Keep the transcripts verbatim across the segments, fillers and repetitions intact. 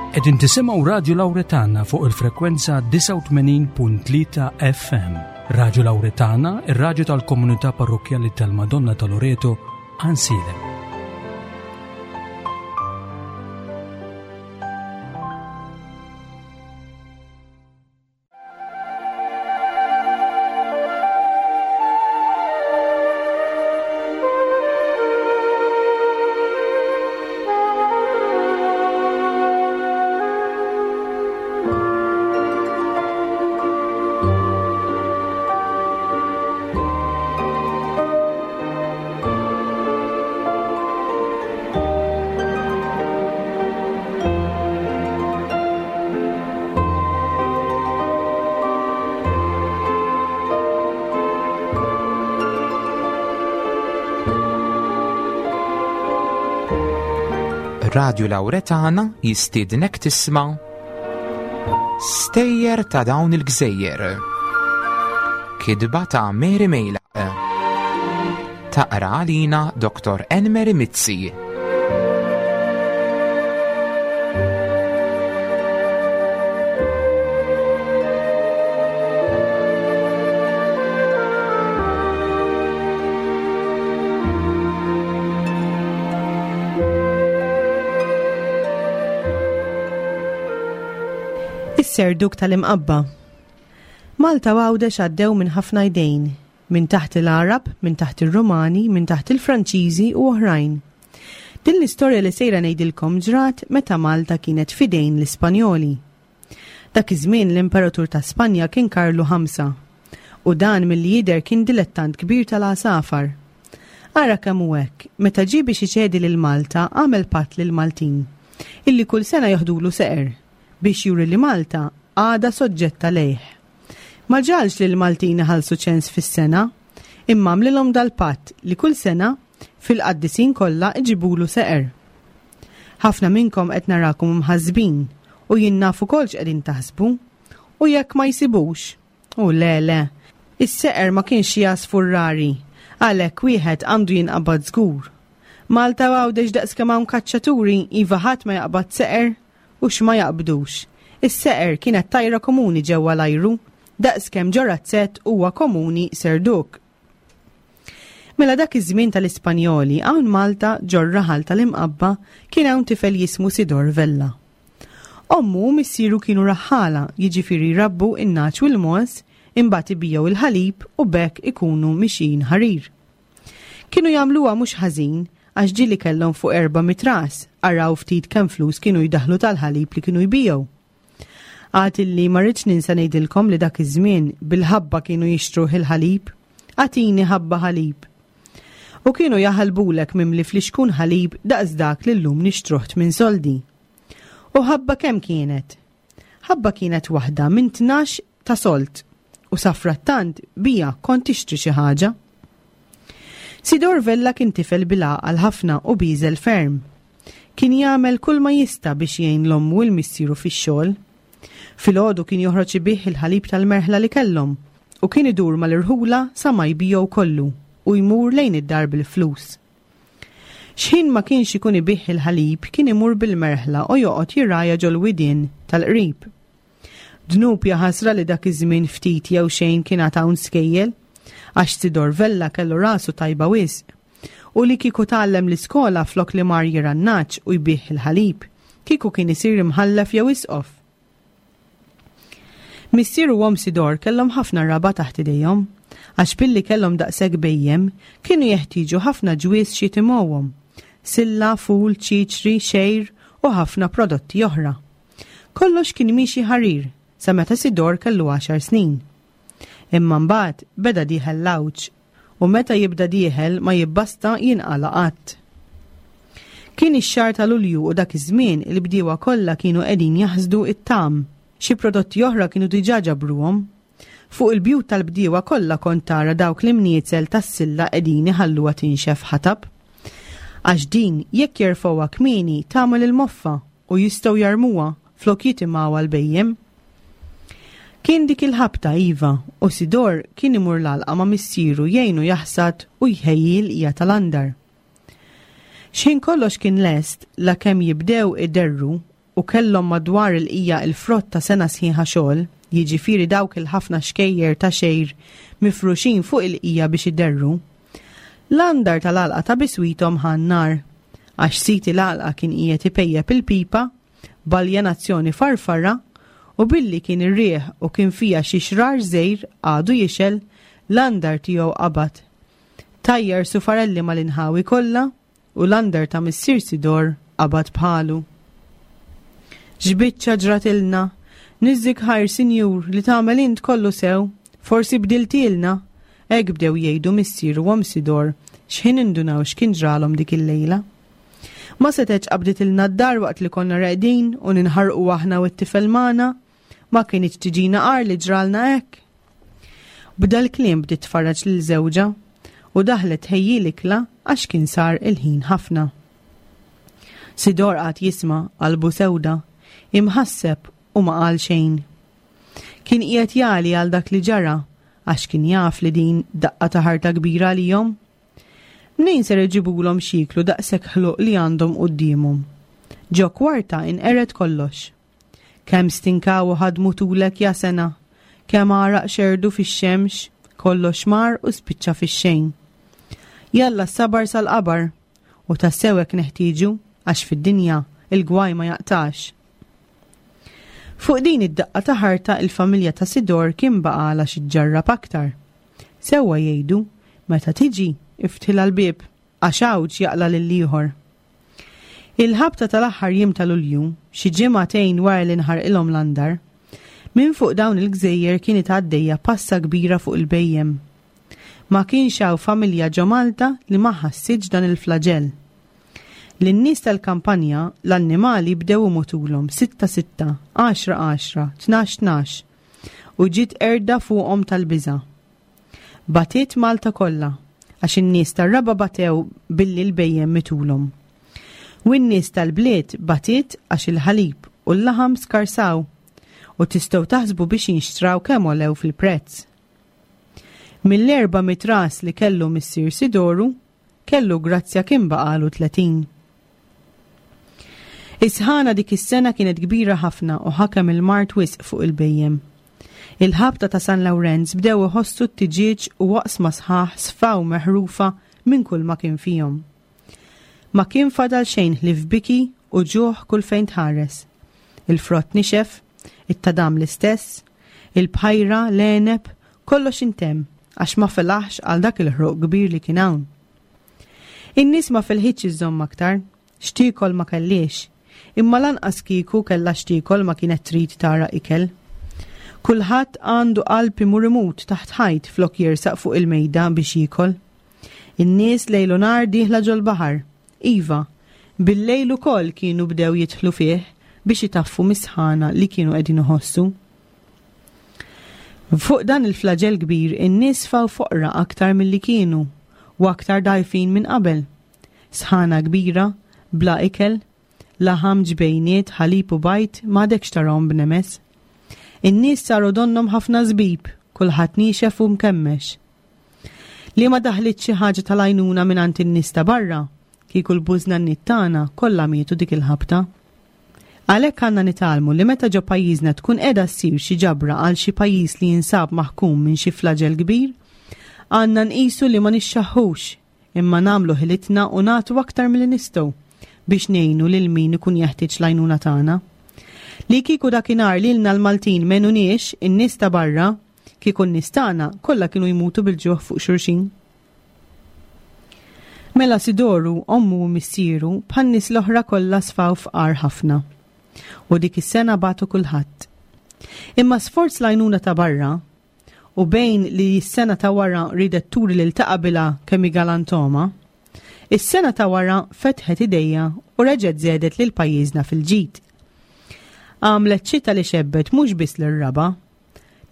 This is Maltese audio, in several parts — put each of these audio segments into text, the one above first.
Qegħdin tisimgħu Radio Lauretana fuq il-frekwenza disgħa u tmenin punt tlieta F M. Radio Lauretana, ir-radju tal-Komunità Parrokkjali tal-Madonna ta' Loreto, Għajnsielem. Radio Lauretana jistiednek tisma' Stejjer ta' dawn il-gżejjer. Kitba ta' Mary Mejlaq. Taqra għalina Doktor Enmeri Mizzi. Is-serduk tal-Imqabba. Malta u Għawdex għaddew minn ħafna jdejn, minn taħt il-Arab, minn taħt il-Rumani, minn taħt il-Franċiżi u oħrajn. Din l-istorja li sejra ngħidilkom ġrat meta Malta kienet fidejn l-Ispanjoli. Dak iż-żmien l-Imperatur ta' Spanja kien Karlu Ħamsa u dan milli jidher kien dilettant kbir tal-għasafar. Ara kemm hu hekk, meta ġie biex iċedi lil Malta, għamel patt lil Maltin illi kull sena joħdulu seqer biex juri li Malta għada soġġetta lejh. Ma ġagħalx li l-Maltin iħallsu ċens fis-sena, imma għamlilhom dal-patt li kull sena fil-qaddisin kollha iġibulu seqer. Ħafna minnkom qed narakom mħassbin u jien naf ukoll x'qegħdin taħsbu, u jekk ma jsibux. U le le, is-seqer ma kienx għasfur rari, għalhekk wieħed għandu jinqabad żgur. Malta u Għawdex daqs kemm hawn kaċċaturi, iva, ħadd ma jaqbad seqer? U x'ma jaqbdux. Is-seqer kienet tajra komuni ġewwa l-ajru, daqs kemm ġo razzett huwa komuni serduk. Mela dak iż-żmien tal-Ispanjoli, hawn Malta, ġor-raħal tal-Imqabba, kien hawn tifel jismu Sidor Vella. Ommu u missieru kienu raħħala, jiġifieri jrabbu in-nagħaġ u l-mogħoż, imbagħad ibigħu il-ħalib u b'hekk ikunu mixin ħarir. Kienu jagħmluha mhux ħażin, għax ġieli kellhom fuq erba' mitt ras, araw ftit kemm flus kienu jdaħlu tal-ħalib li kienu jbigħu. Għad illi ma rridx ninsa ngħidilkom li dak iż-żmien bil-ħabba kienu jixtru il-ħalib, "Agħtini ħabba ħalib." U kienu jaħalbulek mimli flixkun ħalib daqs dak li llum nixtruh minn soldi. U ħabba kemm kienet? Ħabba kienet waħda minn tnax ta' sold u safrattant biha kont tixtri xi ħaġa. Sidor Vella kien tifel bil-għaqal ħafna u bieżel ferm. Kien jagħmel kull ma jista' biex jgħin l-ommu u l-missieru fix-xogħol. Filgħodu kien joħroġ ibigħ il-ħalib tal-merħla li kellhom u kien idur mal-irħula sa ma jbigħu kollu u jmur lejn id-dar bil-flus. X'ħin ma kienx ikun ibigħ il-ħalib, kien imur bil-merħla u joqgħod jirgħaja ġol-widien tal-qrib. Dnub jaħasra li dak iż-żmien ftit jew xejn kien hawn skejjel, għax Sidor Vella kellu rasu tajba wisq. U li kieku tgħallem l-iskola flok li mar jirgħa n-nagħaġ u jbigħ il-ħalib, kieku kien isir imħallef jew isqof. Missier u omm Sidor kellhom ħafna raba taħt idejhom, għax billi kellhom daqshekk bhejjem, kienu jeħtieġu ħafna ġwiż x'jitimgħuhom. Silla, ful, ċiċri, xgħir u ħafna prodotti oħra. Kollox kien miexi ħarir sa meta Sidor kellu għaxar snin. Imma mbagħad beda dieħel l-għawġ u meta jibda dieħel ma jibbasta jinqala qatt. Kien ix-xahar ta' Lulju u dak iż-żmien il-bdiewa kollha kienu qegħdin jaħsdu it-tam. Xi prodotti oħra kienu diġà ġabruhom. Fuq il-bjut tal-bdiewa kollha kont tara dawk l-imniezel tas-silla qegħdin iħalluha tinxef ħatab. Għax din jekk jerfgħuha kmieni tagħmel il-moffa u jistgħu jarmuha flok jitimgħuha l-bhejjem. Kien dik il-ħabta, iva, u Sidor kien imur l-għalqa ma' missieru jgħinu jaħsad u jħejji l-qija tal-andar. X'ħin kollox kien lest, la kemm jibdew iderru u kellhom madwar il-qija il-frott ta' sena sħiħa xogħol, jiġifieri dawk il-ħafna xkejjer ta' xgħir mifruxin fuq il-qija biex iderru, l-andar tal-għalqa ta' biswithom ħa n-nar, għax sid il-għalqa kien qiegħed ipejjep il-pipa b'aljenazzjoni farfara u billi kien ir-riħ u kien fiha xi xrar żgħir għadu jixgħel, l-andar tiegħu qabad. Tajjar sufarelli mal-inħawi kollha u l-andar ta' missier Sidor qabad bħalu. X'biċċa ġratilna, niżżik ħajr sinjur li tagħmel int kollu sew, forsi bdiltilna, hekk bdew jgħidu missier u omm Sidor x'ħin indunaw x'kien ġralhom dik il-lejla. Ma setgħetx qabditilna d-dar waqt li konna reqdin u ninħarqu aħna u t-tifel magħna, ma kinitx tiġina agħar li ġralna hekk. B'dal-kliem bdiet tfarraġ lil żewġha u daħlet tħejji l-ikla għax kien sar il-ħin ħafna. Sidor qagħad jisma' qalbu sewda, imħasseb u ma qal xejn. Kien qiegħed jagħli għal dak li ġara għax kien jaf li din daqqa ta' ħarta kbira għalihom. Mnejn ser iġibulhom x'jieklu daqshekk ħluq li għandhom quddiemhom? Ġo kwarta inqered kollox. Kemm stinkaw u ħadmu tulek ja sena, kemm għaraq xerdu fix-xemx, kollox mar u spiċċa fix-xejn. Jalla s-sabar sal-qabar, u tassew hekk neħtieġu għax fid-dinja il-gwaj ma jaqtax. Fuq din id-daqqa ta' ħarta il-familja ta' Sidor kien baqgħalha xi ġġarrab aktar. Sewwa jgħidu, meta tiġi, iftħilha l-bieb, għax għawġ jaqla' lill-ieħor. Il-ħabta tal-aħħar jiem ta' Lulju, xi ġimagħtejn wara li nħarqilhom l-andar, minn fuq dawn il-gżejjer kienet għaddejja passa kbira fuq il-bhejjem. Ma kienx hawn familja ġo Malta li ma ħassitx dan il-flaġell. Lin-nies tal-kampanja l-annimali bdew imutulhom sitta sitta, għaxra għaxra, tnax tnax, u ġiet qerda fuqhom tal-biża'. Batiet Malta kollha, għax in-nies tar-raba' batew billi l-bhejjem mitulhom. U n-nies tal-bliet batiet għax il-ħalib u l-laħam skarsaw, u tistgħu taħsbu biex jinxtraw kemm għolew fil-prezz. Mill-erba' mitt ras li kellu missier Sidoru, kellu grazzja kien baqalu tletin. Is-sħana dik is-sena kienet kbira ħafna u ħakem il-mard wisq fuq il-bhejjem. Il-ħabta ta' San Lawrenz bdew iħossu t-tiġieġ u waqsma sħaħ sfaw meħrufa minn kull ma kien fihom. Ma kien fadal xejn ħlief biki u ġuħ kull fejn tħares. Il-frott nixef, it-tadam l-istess, il-bħajra, l-għeneb, kollox intemm għax ma felaħx għal dak il-ħruq kbir li kien hawn. In-nies ma felħitx iżżomm aktar, x'tiekol ma kelliex, imma lanqas kieku kellha x'tiekol ma kienet trid tara ikel. Kulħadd għandu qalb imur imut taħt ħajt flok jersaq fuq il-mejda biex jiekol. In-nies lejl u nhar dieħla ġol-baħar. Iva, bil-lejl ukoll kienu bdew jidħlu fih biex itaffu mis-sħana li kienu qegħdin iħossu. Fuq dan il-flaġell kbir in-nies faw foqra aktar milli kienu u aktar dgħajfin minn qabel. Sħana kbira, bla ikel, laħam, ġbejniet, ħalib u bajt m'għadekx tarahom b'nemes. In-nies saru donnhom ħafna żbib, kulħadd niexef u mkemmex. Li ma daħlit xi ħaġa tal-għajnuna mingħand in-nies ta' barra, kieku l-bużnanniet tagħna kollha mietu dik il-ħabta. Għalhekk għandna nitgħallmu li meta ġo pajjiżna tkun qiegħda ssir xi ġabra għal xi pajjiż li jinsab maħkum minn xi flaġell kbir, għandna nqisu li ma nixxaħħux, imma nagħmlu ħilitna u nagħtu aktar milli nistgħu biex ngħinu lil min ikun jeħtieġ l-għajnuna tagħna. Li kieku dakinhar lilna l-Maltin m'għenuniex in-nies ta' barra, kieku n-nies tagħna kollha kienu jmutu bil-ġuħ fuq xulxin. Mela Sidoru, ommu u missieru, bħan-nies l-oħra kollha sfaw fqar ħafna. U dik is-sena batu kulħadd. Imma sforz l-għajnuna ta' barra, u bejn li s-sena ta' wara ridet turi lil ta' qabilha kemm hi galantoma, is-sena ta' wara fetħet idejja u reġgħet żedet lil pajjiżna fil-ġid. Għamlet xita li xebbet mhux biss lir-raba,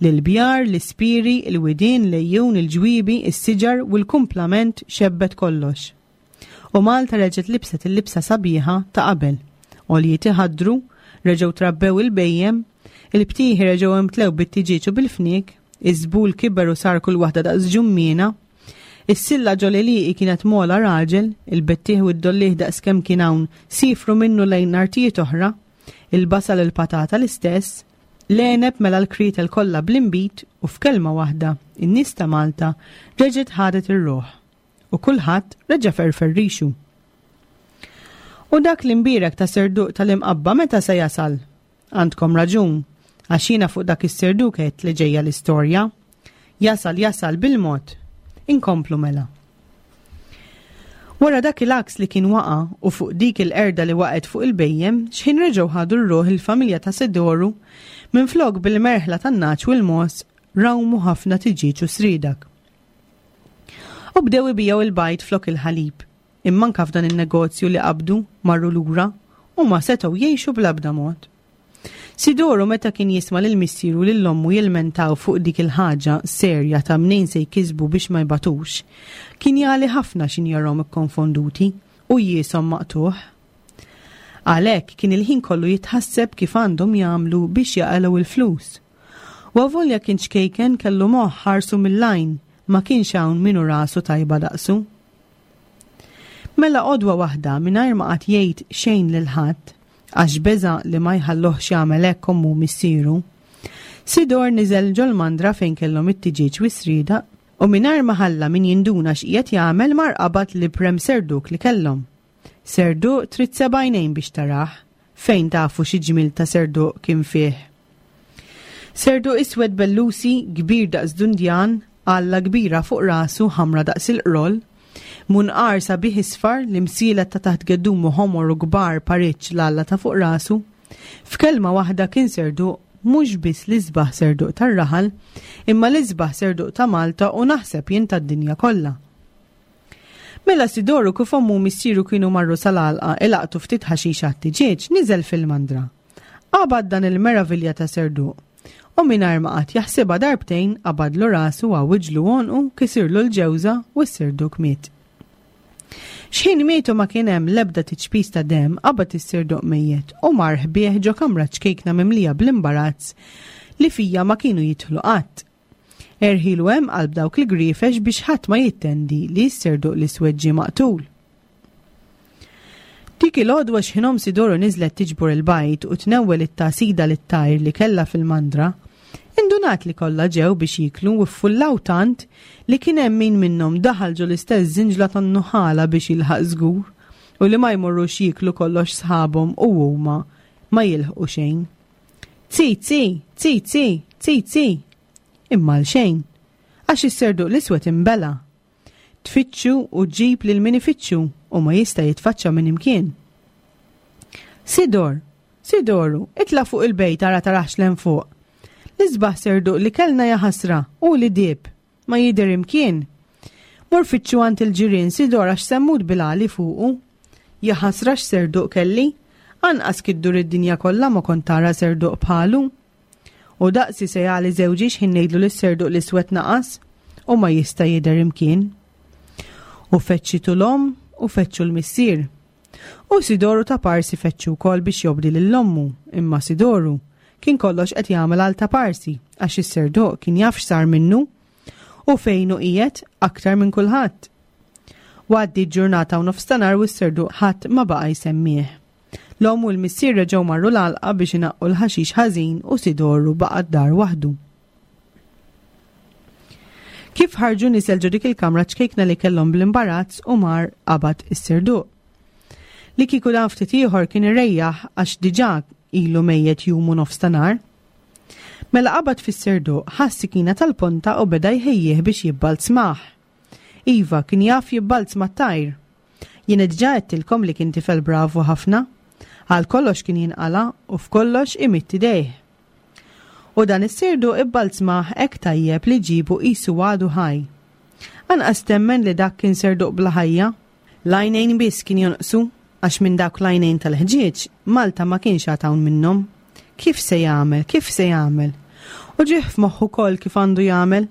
lil-bjar, l-ispiri, il-widien, l-ejjun, il-ġwiebi, is-siġar u l-kumplament xebbet kollox. U Malta reġgħet libset il-libsa sabiħa ta' qabel. Għoljiet iħaddru, reġgħu trabbew il-bejjem, il-btieħi reġgħu imtlew bit-tiġieġ u bil-fniek, iż-żbul kiber u sar kull waħda daqs ġummiena, is-silla ġol-għelieqi kienet mola raġel, il-bettieħ u d-dollieħ daqs kemm kien hawn sifru minnu lejn artijiet oħra, Il-basal, il-patata l-istess, l-għeneb mela l-kritel kollha bl-inbid u f'kelma waħda, in-nies ta' Malta reġgħet ħadet ir-ruħ u kulħadd reġa' ferfer rixu. U dak l-imbierek ta' serduq tal-Imqabba meta se jasal? Għandkom raġun, għax jiena fuq dak is-serduk għedt li ġejja l-istorja. Jasal, jasal bil-mod. Inkomplu mela. Wara dak il-għaks li kien waqa' u fuq dik il-qerda li waqgħet fuq il-bhejjem, xħin reġgħu ħadu r-ruħ il-familja ta' Sidoru, minflok bil-merħla tan-nagħaġ u l-mogħoż rawmu ħafna tiġieġ u sriedak. U bdew ibigħu il-bajd flok il-ħalib. Imma anke f'dan in-negozju li qabdu marru lura u ma setgħu jgħixu bl-ebda mod. Sidoru meta kien jisma' lil missieru u lil ommu jilmentaw fuq dik il-ħaġa serja ta' mnejn se jkisbu biex ma jbatux, kien jagħli ħafna x'in jarahom ikkonfonduti u jieshom maqtugħ. Għalhekk kien il-ħin kollu jitħasseb kif għandhom jagħmlu biex jaqalgħu il-flus. U avolja kien ċkejken kellu moħħ ħarsu mill-għajn, ma kienx hawn min hu rasu tajba daqsu. Mela għodwa waħda mingħajr ma qagħad jgħid xejn lil ħadd, għax beża' li ma jħalluhx jagħmel hekk ommu u missieru, Sidor niżel ġol-mandra fejn kellhom it-tiġieġ u s-sriedaq u mingħajr ma ħalla min jinduna x'qiegħed jagħmel mar qabad l-iprem serduq li kellhom. Serduq trid seba' għajnejn biex tarah, fejn tafu xi ġmiel ta' serduq kien fih. Serduq iswed bellusi, kbir daqs dundjan, għalla kbira fuq rasu ħamra daqs il-qroll, munqar sabiħ isfar, l-imsielet ta' taħt geddumu ħomor u kbar pariċ l-għalla ta' fuq rasu. F'kelma waħda kien serduq mhux biss l-isbaħ serduq tar-raħal, imma l-isbaħ serduq ta' Malta u naħseb jien tad-dinja kollha. Mela Sidoru kif ommu u missieru kienu marru sal-għalqa ilaqtu ftit ħaxix għat-tiġieġ, niżel fil-mandra. Qabad dan il-meravilja ta' serduq u mingħajr ma qagħad jaħsibha darbtejn qabadlu rasu, għawwiġlu għonqu, kisirlu l-ġewża u s-serduq miet. X'ħin mietu ma kien hemm l-ebda tiċpis ta' demm, qabad is-serduq mejjet u mar ħbieħ ġo kamra ċkejkna mimlija bl-imbarazz li fija ma kienu jidħlu qatt. Erħilu hemm qalb dawk il-griefex biex ħadd ma jittendi li s-serduq l-iswed ġie maqtul. Dik il-għodwa x'ħin omm Sidoru niżlet tiġbor il-bajd u tnewwel it-tagħsida lit-tajr li kellha fil-mandra, indunat li kollha ġew biex jieklu u ffullaw tant li kien hemm min minnhom daħal ġo l-istess żinġla tan-nuħala biex jilħaq żgur u li ma jmorrux jieklu kollox sħabhom u huma ma jilħqu xejn. Tzi, tzi, tzi, tzi, tzi, tzi. Imma għal xejn, għax is-serduq l-iswed imbela. Tfittxu u ġġib lil min ifittxu u ma jista' jitfaċċa minn imkien. Sidor, Sidoru, itla' fuq il-bejt ara tarax 'l hemm fuq. L-isbaħ serduq li kellna jaħasra u li dib, ma jidher imkien. Mur fittxu għand il-ġirien Sidor għax semmut bil-għali fuqu. Jaħasra x'serduq kelli, anqas kiddur id-dinja kollha ma kont tara serduq bħalu. U daqsi se jagħli żewġi x'ħin ngħidlu li s-serduq l-iswed naqas u ma jista' jidher imkien. U fettxitu l-omm u fettxu l-missier. U Sidoru ta' parsi fettxu wkoll biex jobdi lil ommu, imma Sidoru kien kollox qed jagħmel għal ta' parsi għax is-serduq kien jaf x'sar minnu u fejn hu qiegħed aktar minn kulħadd. Għaddi ġurnata u nofstanhar u s-serduq ħadd ma baqa' jsemmih. L-omm u l-missier reġgħu marru l-għalqa biex inaqqu l-ħaxix ħażin u Sidoru baqa' d-dar waħdu. Kif ħarġu niżel ġo dik il-kamra ċkejkna li kellhom bl-imbarazz u mar qabad is-serduq. Li kieku dan ftit ieħor kien irejjaħ għax diġà ilu mejjet jum u nofs ta' nhar. Mela qabad fis-serduq, ħa s-sikkina tal-ponta u beda jħejjih biex jibbalzmah. Iva, kien jaf jibbalzma t-tajr. Jien diġà għedtilkom li kien tifel bravu ħafna. Għal kollox kien jinqala u f'kollox imidd idejh. U dan is-serduq ibbalzmah hekk tajjeb li ġibu qisu għadu ħaj. Anqas temmen li dak kien serduq bla ħajja. L-għajnejn biss kien jonqsu, għax minn dawk l-għajnejn tal-ħġieġ Malta ma kienx għad hawn minnhom. Kif se jagħmel, kif se jagħmel? U ġieħ f'moħħu wkoll kif għandu jagħmel.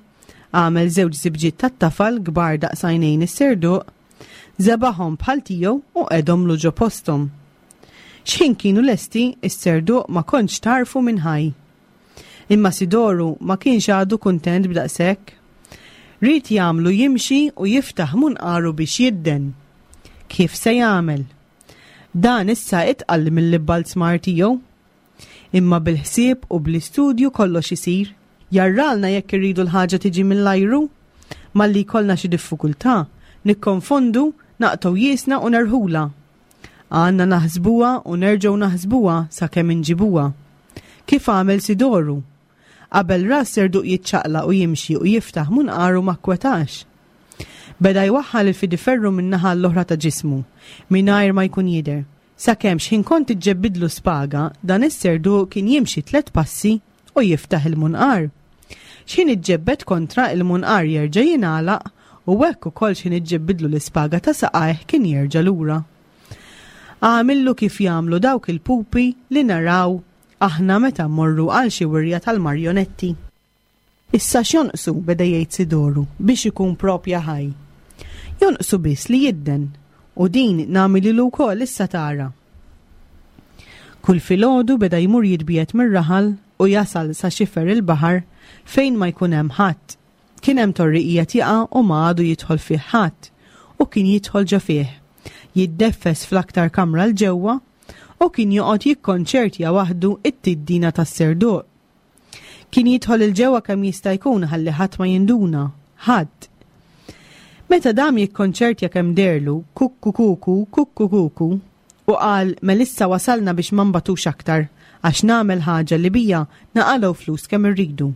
Għamel żewġ żibġiet tat-tafal kbar daqs għajnejn is-serduq, żebagħhom bħal tiegħu u qegħdhomlu ġo posthom. X'ħin kienu lesti, is-serduq ma kontx tarfu minn ħaj. Imma Sidoru ma kienx għadu kuntent b'daqshekk. Ried jagħmlu jimxi u jiftaħ munqaru biex jidden. Kif se jagħmel? Dan issa itqal mill-ibbalzmar tiegħu. Imma bil-ħsieb u bl-istudju kollox isir. Jarralna jekk irridu l-ħaġa tiġi mill-ajru. Malli jkollna xi diffikultà, nikkonfondu, naqtgħu jiesna u nerħula. Għandna naħsbuha u nerġgħu naħsbuha sakemm inġibuha. Kif għamel Sidoru? Qabel ra s-serduq jiċċaqlaq u jimxi u jiftaħ munqaru ma kkwetax. Beda jwaħħal il-fidiferru min-naħa l-oħra ta' ġismu, mingħajr ma jkun jidher. Sakemm x'ħin kont iġġebbidlu spaga, dan is-serduq kien jimxi tliet passi u jiftaħ il-munqar. X'ħin iġġebbed kontra il-munqar jerġa' jingħalaq u hekk ukoll x'ħin iġġebbidlu l-ispaga ta' saqajh kien jerġa' lura. Għamillu kif jagħmlu dawk il-pupi li naraw aħna meta mmorru għal xi wirja tal-marjonetti. Issa x'jonqsu, beda jgħid Sidoru, biex ikun propja ħaj. Jonqsu biss li jidden, u din nagħmililu wkoll issa tara. Kull filgħodu beda jmur jitbiegħed mir-raħal u jasal sa xifer il-baħar fejn ma jkun hemm ħadd. Kien hemm torri qiegħed jaqa' u ma għadu jidħol fih ħadd, u kien jidħol ġo fih. Jiddeffes fl-aktar kamra 'l ġewwa u kien joqgħod jikkonċertja waħdu it-tiddina tas-serduq. Kien jidħol 'il ġewwa kemm jista' jkun ħalli ħadd ma jinduna, ħadd. Meta dam jikkonċertja kemm derlu, kukku kuku, kukku kuku, u qal melissa wasalna biex ma nbatux aktar, għax nagħmel ħaġa li bija naqalgħu flus kemm irridu.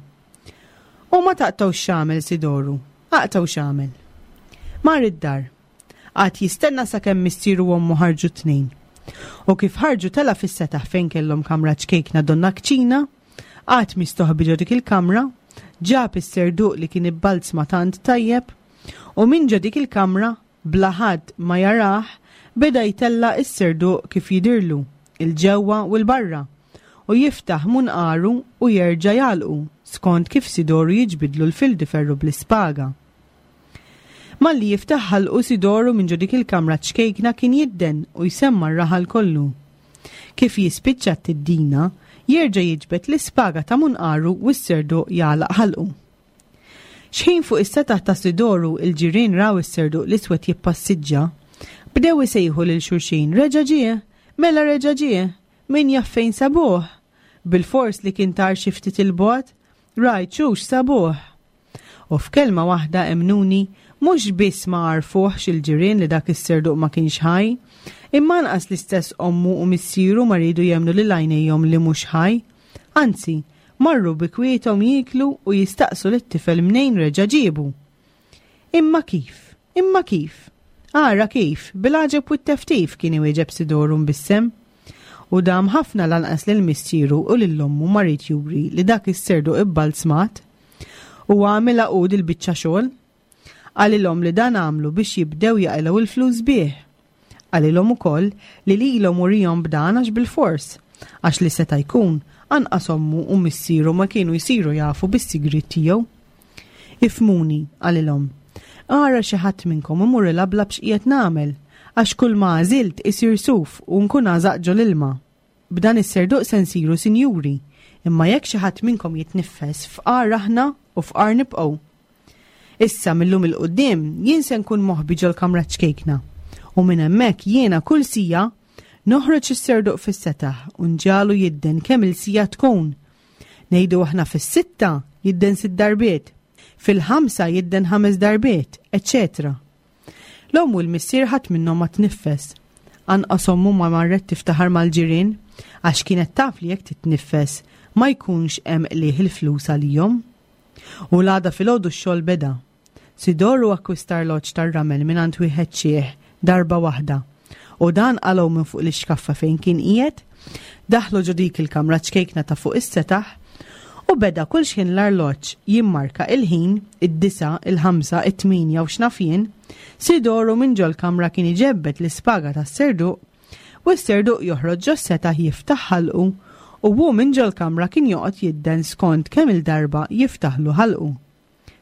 U ma taqtgħux x'għamel Sidoru, aqtgħu x'għamel. Mar id-dar. Qagħad jistenna sakemm missieru u ommu ħarġu t-tnejn. U kif ħarġu tela' fis-setaħ fejn kellhom kamra ċkejkna donna kċina, qagħad mistoħbi ġo dik il-kamra, ġab is-serduq li kien ibbalzma tant tajjeb, u minn ġo dik il-kamra, bla ħadd ma jarah, beda jtella' is-serduq kif jidirlu, il-ġewwa u l-barra, u jiftaħ munqaru u jerġa' jagħlqu skont kif Sidoru jiġbidlu l-fildiferru bl-ispaga. Malli jiftaħ ħalqu Sidoru minn ġo dik il-kamra ċkejkna kien jidden u jsemma r-raħal kollu. Kif jispiċċa t-tiddina, jerġa' jiġbed l-ispaga ta' munqaru u s-serduq jagħlaq ħalqu. Xħin fuq is-setaħ ta' Sidoru il-ġirien raw is-serduq l-iswed jippassiġġa, bdew isejħu lil xulxin, reġa' ġie, mela reġa' ġie, min jaf fejn sabuh. Bil-fors li kien tar xi ftit il-bogħod, rajt xux sabuh. U f'kelma waħda emnuni, mhux biss ma għarfuhx il-ġirien li dak is-serduq ma kienx ħaj, imma anqas l-istess ommu u missieru ma riedu jemmnu lil għajnejhom li mhux ħaj. Anzi, marru bi kwiethom jieklu u jistaqsu lit-tifel mnejn reġa' ġiebu. Imma kif? Imma kif? Ara kif, bil-għaġeb u t-teftif kien iwieġeb Sidoru mbissem. U dam ħafna lanqas lil missieru u lil ommu ma ried juri li dak is-serduq ibbalzmat. U għamilha hu dil-biċċa xogħol. Qalilhom li dan għamlu biex jibdew jaqilgħu il-flus bih. Qalilhom ukoll li lilhom urihom b'dan għax bil-fors, għax li seta' jkun anqas ommu u missieru ma kienu jsiru jafu bis-sigriet tiegħu. Ifhmuni, qalilhom, ara xi ħadd minnkom imur ilablab x'qiegħed nagħmel, għax kull ma għażilt isir suf u nkun għażaq ġol ilma. B'dan is-serduq se nsiru sinjuri, imma jekk xi ħadd minnkom jitniffes fqar aħna u fqar nibqgħu. Issa millum il-qudiem jien se nkun moħbi ġol-kamra ċkejkna, u minn hemmhekk jiena kull sija noħroġ is-serduq fis-setaħ u nġalu jidden kemm il-sija tkun. Ngħidu aħna fis-sitta jidden sitt darbiet, fil-ħamsa jidden ħames darbiet, eċċetera. L-omm u l-missier ħadd minnhom ma tniffes. Anqas ommu ma marret tiftaħar mal-ġirien għax kienet taf li jekk titniffes ma jkunx hemm qligħ il-flus għalihom. U l-għada filgħodu x-xogħol beda. Sidoru akkwista arloġġ tar-ramel mingħand wieħed xiħ darba waħda. U dan qalgħu minn fuq l-ixkaffa fejn kien qiegħed, daħlu ġo dik il-kamra ċkejkna ta' fuq is-setaħ u beda kull xħin l-arloġġ jimmarka il-ħin, id-disa, il-ħamsa, it-tminja u x'naf jien, Sidoru minn ġol-kamra kien iġebbed l-ispaga tas-serduq u s-serduq joħroġ ġos-setaħ jiftaħ ħalqu u hu minn ġol-kamra kien joqgħod jidden skont kemm il-darba jiftaħlu ħalqu.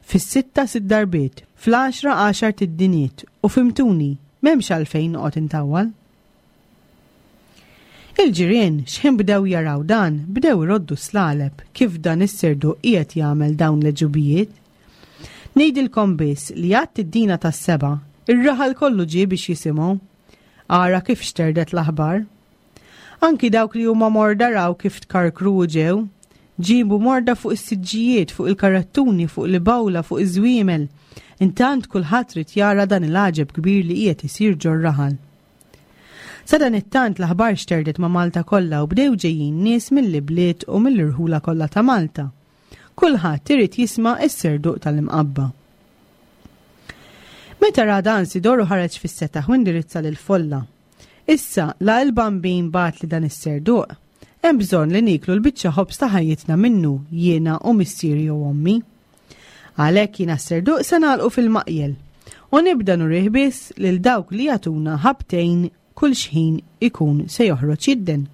Fis-sitta sitt darbiet, fl-għaxra għaxar tiddiniet u fimtuni, m'hemmx għalfejn noqgħod intawwal. Il-ġirien x'ħin bdew jaraw dan, bdew iroddu slaleb kif dan is-serduq qiegħed jagħmel dawn l-ġubijiet. Ngħidilkom biss li għad id-dina tas-seba', ir-raħal kollu ġie biex jisimgħu. Ara kif xterdet l-aħbar. Anki dawk li huma morda raw kif tkarkru u ġew. Ġibu morda fuq is-siġġijiet, fuq il-karattuni, fuq l-bawla, fuq iż-żwiemel. Intant kulħadd rid jara dan il-għaġeb kbir li qiegħed isir ġor-raħal. Sadanittant l-aħbar xterdet ma' Malta kollha u bdew ġejjin nies mill-ibliet u mill-irħula kollha ta' Malta. Kulħadd irid jisma' s-serduq tal-Imqabba. Meta ra dan Sidoru ħareġ fis-setaħ u indirizza lill-folla. Issa, la il-Bambin bagħatli dan is-serduq, hemm bżonn li nieklu l-biċċa ħobż ta' ħajjitna minnu jiena u missieri u ommi. Għalhekk jiena s-serduq se nagħlqu fil-maqjel u nibda nurih biss lil dawk li jagħtuna ħabtejn kull xħin ikun se joħroġ jidden.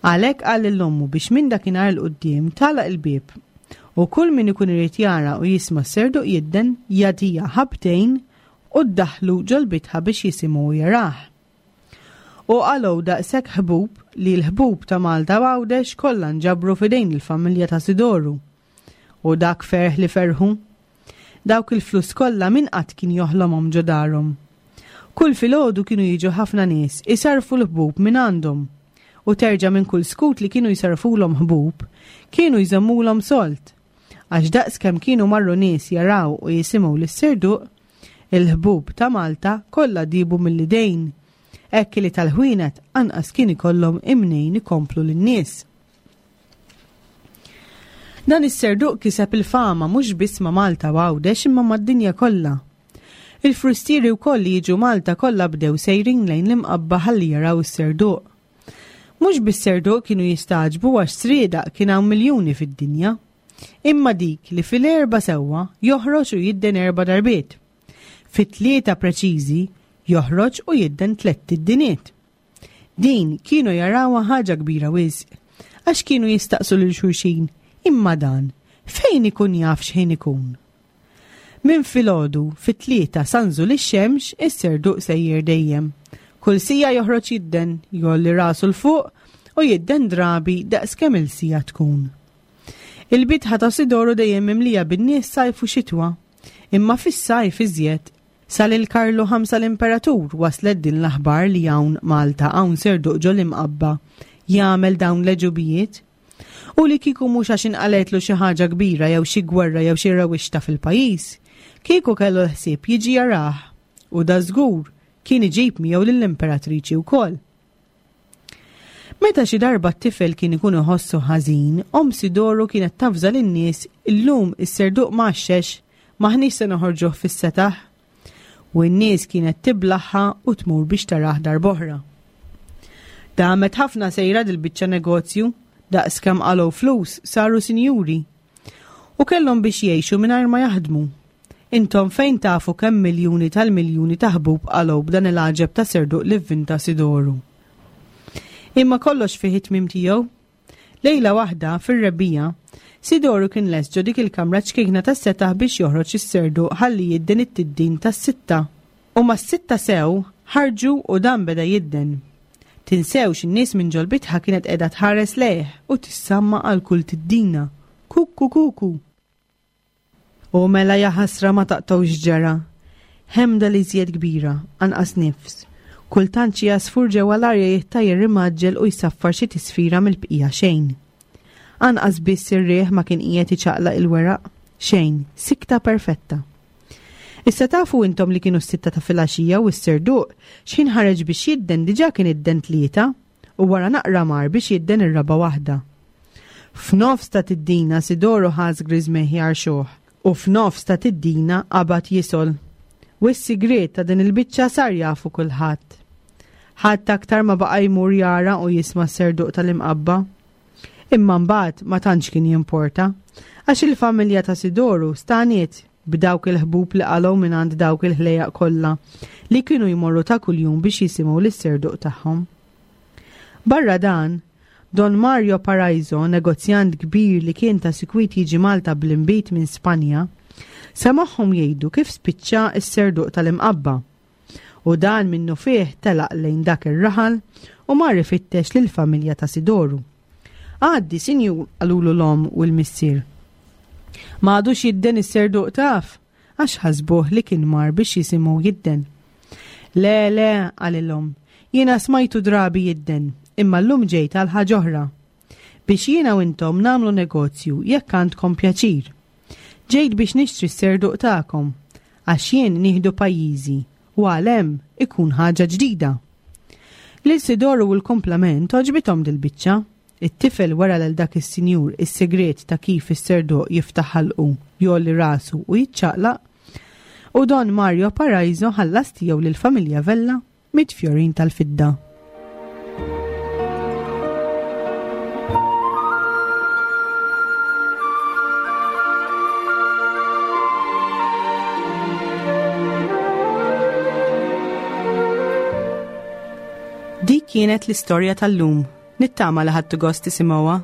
Għalhekk qal lil ommu biex minn dakinhar 'l quddiem tagħlaq il-bieb u kull min ikun irid jara u jisma' s-serduq jidden jagħtiha ħabtejn u ddaħħlu ġol-bitħa biex jisimgħu u jarah. U qalgħu daqshekk ħbub li l-ħbub ta' Malta u Għawdex kollha nġabru f'idejn il-familja ta' Sidoru. U dak ferħ li ferħu! Dawk il-flus kollha min qatt kien joħlomhom ġo darhom. Kull filgħodu kienu jiġu ħafna nies isarrfu l-ħbub minn għandhom. U terġa' minn kull skut li kienu jsarrfulhom ħbub, kienu jżommulhom sold. Għax daqs kemm kienu marru nies jaraw u jisimgħu lis-serduq, il-ħbub ta' Malta kollha dibu mill-idejn, hekk li tal-ħwienet anqas kien ikollhom imnejn ikomplu lin-nies. Dan is-serduq kiseb il-fama mhux biss ma' Malta u Għawdex imma mad-dinja kollha. Il-frustieri wkoll li jiġu Malta kollha bdew sejrin lejn l-Imqabba ħalli jaraw is-serduq. Mhux bis-serduq kienu jistagħġbu għax sriedaq kien hawn miljuni fid-dinja. Imma dik li fil-erba' sewwa joħroġ u jidden erba' darbiet. Fit-tlieta preċiżi joħroġ u jidden tlett tiddiniet. Din kienu jarawha ħaġa kbira wisq, għax kienu jistaqsu lil xulxin, imma dan fejn ikun jaf x'ħin ikun? Minn filgħodu fit-tlieta sa nżul ix-xemx is-serduq sejjer dejjem. Kull sija joħroġ jidden, jgħolli rasu 'l fuq u jidden drabi daqs kemm il-sija tkun. Il-bitħa ta' Sidoru dejjem mimlija bin-nies sajf u xitwa, imma fis-sajf iżjed. Sa lil Karlu ħamsa l-Imperatur waslet din l-aħbar li hawn Malta hawn serduq ġo l-Imqabba jagħmel dawn l-għeġubijiet. U li kieku mhux għax inqaletlu xi ħaġa kbira jew xi gwerra jew xi rewwixta fil-pajjiż, kieku kellu l-ħsieb jiġi jarah u da żgur kien iġib miegħu lill-imperatriċi wkoll. Meta xi darba t-tifel kien ikun iħossu ħażin, omm Sidoru kienet tafża lin-nies illum is-serduq m'għaxxex, m'aħniex se noħorġuh fis-setaħ. U n-nies kienet tiblaħħa u tmur biex tarah darb'oħra. Damet ħafna sejra dil-biċċa negozju, daqs kemm qalgħu flus saru sinjuri. U kellhom biex jgħixu mingħajr ma jaħdmu. Intom fejn tafu kemm miljuni tal-miljuni ta' ħbub qalgħu b'dan il-għaġeb ta' serduq li vvinta Sidoru. Imma kollox fih it-tmiem tiegħu. Lejla waħda fir-rebbiegħa, Sidoru kien lest ġo dik il-kamra ċkejkna tas-setaħ biex joħroġ is-serduq ħalli jidden it-tiddin tas-sitta. U mas-sitta sew ħarġu u dan beda jidden. Tinsewx in-nies minn ġol-bitħa kienet qiegħda tħares lejh u tissamma għal kull tiddina. Kuku kuku. U mela jaħasra ma taqtgħux ġara. Ħemda li żjed kbira, anqas nifs. Kultant xi għasfur ġewwa l-arja jittajjar imgħaġġel u jsaffar xi tisfira mill-bqija xejn. Anqas biss ir-riħ ma kien qiegħed iċaqlaq il-weraq, xejn, sikta perfetta. Issa tafu intom li kienu s-sitta ta' filgħaxija u s-serduq x'ħin ħareġ biex jidden diġà kien idden tlieta u wara naqra mar biex jidden ir-raba' waħda. F'nofs ta' tiddina Sidoru ħass griżmejh jgħarxuh u f'nofs ta' tiddina qabad jisol. U s-sigriet ta' din il-biċċa sar jafu kulħadd. Ħadd aktar ma baqa' jmur jara u jisma' s-serduq tal-Imqabba. Imma mbagħad ma tantx kien jimporta, għax il-familja ta' Sidoru staniet b'dawk il-ħbub li qalgħu mingħand dawk il-ħlejjaq kollha li kienu jmorru ta' kuljum biex jisimgħu lis-serduq tagħhom. Barra dan, Don Mario Paraiso, negozjant kbir li kien ta' sikwit jiġi Malta bl-inbid minn Spanja, semagħhom jgħidu kif spiċċa s-serduq tal-Imqabba. U dan minnu fih telaq lejn dak ir-raħal u mar ifittex lill-familja ta' Sidoru. Għaddi, sinjur, qalulu l-omm u l-missier. Ma għadux jidden is-serduq taf, għax ħasbuh li kien mar biex jisimgħu jidden. Le, le, qalilhom, jiena smajtu drabi jidden, imma llum ġejt għal ħaġa oħra. Biex jiena u intom nagħmlu negozju jekk għandkom pjaċir. Ġejt biex nixtri s-serduq tagħkom, għax jien nieħdu pajjiżi u għal hemm ikun ħaġa ġdida. Lil Sidoru u l-kumplament għoġbithom dil-biċċa. It-tifel wera lil dak is-sinjur is-segret ta' kif is-serduq jiftaħ ħalqu, jgħolli rasu u jiċċaqlaq, u Don Mario Paraiso ħallas tiegħu lill-familja Vella mitt fjorin tal-fidda. Dik kienet l-istorja tal-lum. Nittama li ħadtu gost tisimgħuha.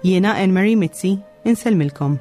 Jiena Anne Marie Mizzi, insellmilkom.